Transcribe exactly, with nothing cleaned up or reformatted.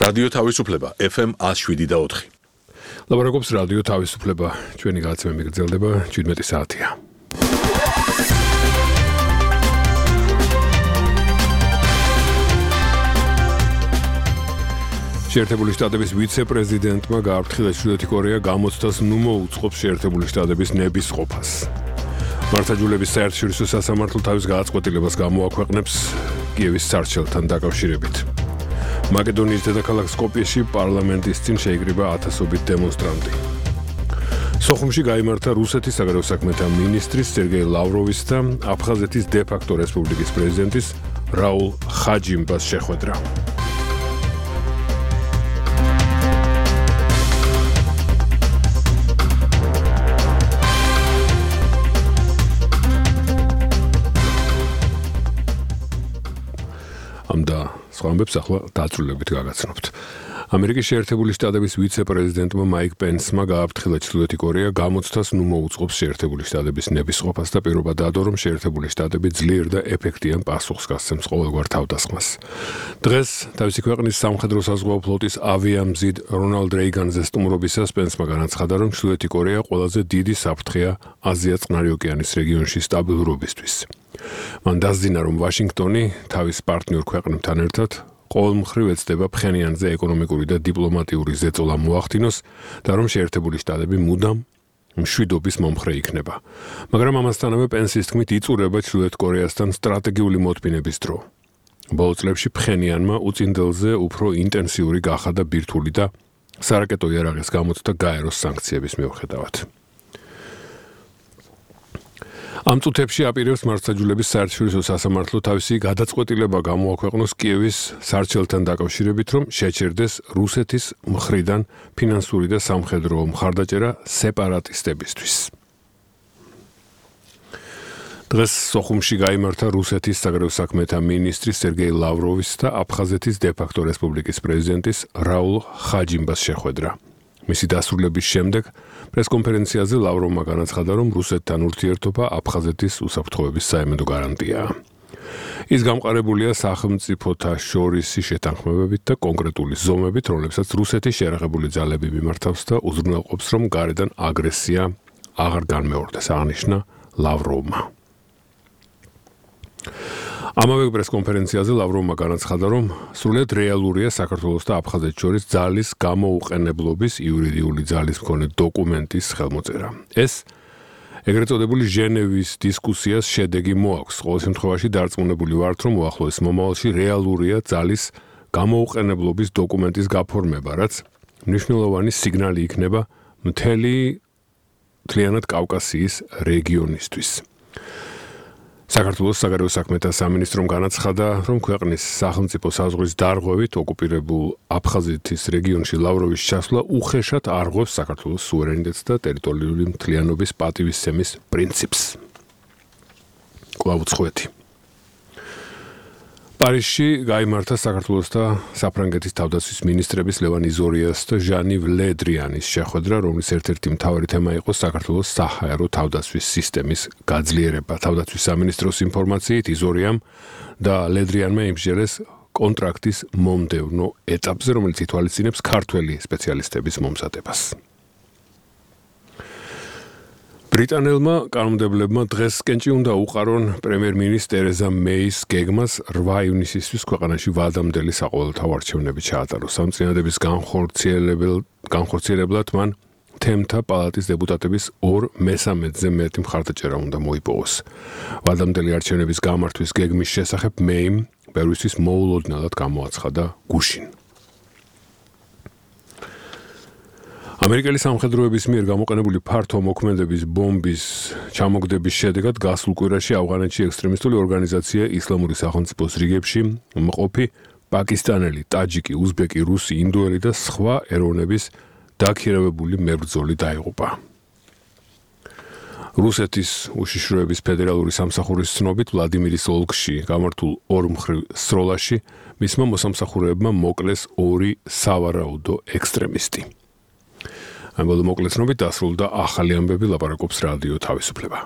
რადიო თავისუფლება ეფ ემ one oh seven და four. ლაბორატორიის რადიო თავისუფლება ჩვენი გაცემა მიგრძელდება seventeen საათია. შეერთებული შტატების ვიცე-პრეზიდენტმა გააფრთხილა ჩრდილოეთი კორეა გამოცდას ნუ მოუწყობს შეერთებული შტატების ნების ყოფას. მართლმსაჯულების საერთაშორისო სასამართლო თავის გადაწყვეტილებას გამოაქვეყნებს კიევის სარჩელთან დაკავშირებით. მაკედონიის დედაქალაქ სკოპიეში პარლამენტის წინ შეიკრიბა ათასობით დემონსტრანტი. სოხუმში გაიმართა რუსეთის საგარეო საქმეთა მინისტრის სერგეი ლავროვის და აფხაზეთის დე-ფაქტო რესპუბლიკის პრეზიდენტის რაულ ხაჯიმბას შეხვედრა. ამდა სხვა ამბებს ახლა დაწვრილებით გაგაცნობთ. ამერიკის შეერთებული შტატების ვიცე-პრეზიდენტმა მაიკ პენსმა გააფრთხილა ჩრდილოეთი კორეა გამოცდას ნუ მოუწყობს შეერთებული შტატების ნების ყოფას და პირობა დაადო, რომ შეერთებული შტატები ძლიერ და ეფექტიან პასუხს გასცემს ყოველგვარ თავდასხმას. დღეს თავისი ქვეყნის სამხედრო საზღვაო ფლოტის ავიამზიდ რონალდ რეიგანზე სტუმრობისას პენსმა განაცხადა, რომ ჩრდილოეთი კორეა ყველაზე დიდი საფრთხეა აზია-წყნარი ოკეანის რეგიონში სტაბილურობისთვის. მან დასძინა, რომ ვაშინგტონი თავის პარტნიორ ქვეყნებთან ერთად ყოველ მხრივ ეცდება ფხენიანზე ეკონომიკური და დიპლომატიური ზეწოლა მოახდინოს და რომ შეერთებული შტატები მუდამ მშვიდობის მომხრე იქნება. მაგრამ ამასთანავე პენსის თქმით იწურება ჩრდილოეთ კორეასთან სტრატეგიული მოთმინების დრო. ბოლო წლებში ფხენიანმა უწინდელზე უფრო ინტენსიური გახადა ბირთვული და სარაკეტო იარაღის გამოცდა გაეროს სანქციების მიუხედავად. ამ წუთებში აპირებს მართლმსაჯულების საერთაშორისო სასამართლო თავისი გადაწყვეტილება გამოაქვეყნოს კიევის სარჩელთან დაკავშირებით, რომ შეჩერდეს რუსეთის მხრიდან ფინანსური და სამხედრო მხარდაჭერა სეპარატისტებისთვის. დღეს სოხუმში გაიმართა რუსეთის საგარეო საქმეთა მინისტრის სერგეი ლავროვის და აფხაზეთის დე-ფაქტო რესპუბლიკის პრეზიდენტის რაულ ხაჯიმბას შეხვედრა. მისი დასრულების შემდეგ პრესკონფერენციაზე ლავროვმა განაცხადა, რომ რუსეთთან ურთიერთობა აფხაზეთის უსაფრთხოების საიმედო გარანტიაა. ის გამყარებულია სახელმწიფოთა შორისი შეთანხმებებით და კონკრეტული ზომებით, რომლებსაც რუსეთის შეიარაღებული ძალები მიმართავს და უზრუნველყოფს, რომ გარედან აგრესია აღარ განმეორდეს, აღნიშნა ლავროვმა. ამავე პრესკონფერენციაზე ლავროვმა განაცხადა, რომ სრულიად რეალურია საქართველოს და აფხაზეთს შორის ძალის გამოუყენებლობის იურიდიული ძალის მქონე დოკუმენტის ხელმოწერა. ეს ეგრეთ წოდებული ჟენევის დისკუსიას შედეგი მოაქვს. ყოველ შემთხვევაში დარწმუნებული ვართ, რომ უახლოეს მომავალში რეალურია ძალის გამოუყენებლობის დოკუმენტის გაფორმება, რაც მნიშვნელოვანი სიგნალი იქნება მთელი მთლიანად კავკასიის რეგიონისთვის. საქართველოს საგარეო საქმეთა სამინისტრომ განაცხადა, რომ ქვეყნის სახელმწიფო საზღვრის დარღვევით ოკუპირებულ აფხაზეთის რეგიონში ლავროვის ჩასვლა უხეშად არღვევს საქართველოს სუვერენიტეტს და ტერიტორიული მთლიანობის პატივისცემის პრინციპს. კვლავ უცხოეთი. პარიზში გაიმართა საქართველოს და საფრანგეთის თავდაცვის მინისტრების ლევან იზორიას და ჟანი ლედრიანის შეხვედრა, რომლის ერთ-ერთი მთავარი თემა იყო საქართველოს საჰაერო თავდაცვის სისტემის გაძლიერება. თავდაცვის სამინისტროს ინფორმაციით იზორიამ და ლედრიანმა იმსჯელეს კონტრაქტის მომდევნო ეტაპზე, რომელიც ითვალისწინებს ქართველი სპეციალისტების მომზადებას. ბრიტანელმა კანონმდებლებმა დღეს კენჭი უნდა უყარონ პრემიერ-მინისტრ ტერეზა მეის გეგმას რვა ივნისისთვის ქვეყანაში ვადამდელი საყოველთაო არჩევნები ჩაატაროს. სამწინადების განხორციელებლად მან თემთა პალატის დეპუტატების ორ მესამედზე მეტი მხარდაჭერა უნდა მოიპოვოს. ვადამდელი არჩევნების გამართვის გეგმის შესახებ მეიმ ბევრისთვის მოულოდნელად გამოაცხადა გუშინ. ამერიკელი სამხედროების მიერ გამოყენებული ფართო მოქმედების ბომბის ჩამოგდების შედეგად გასულ კვირაში ავღანეთში ექსტრემისტული ორგანიზაცია ისლამური სახელმწიფოს რიგებში მყოფი პაკისტანელი, ტაჯიკი, უზბეკი, რუსი, ინდოელი და სხვა ეროვნების დაქირავებული მებრძოლი დაიღუპა. რუსეთის უშიშროების ფედერალური სამსახურის ცნობით ვლადიმირის ოლქში გამართულ ორმხრივ სროლაში მისმა მოსამსახურეებმა მოკლეს ორი სავარაუდო ექსტრემისტი. ამ ბოლო მოკლეცნობით დასრულდა ახალი ამბები, ლაპარაკობს რადიო თავისუფლება.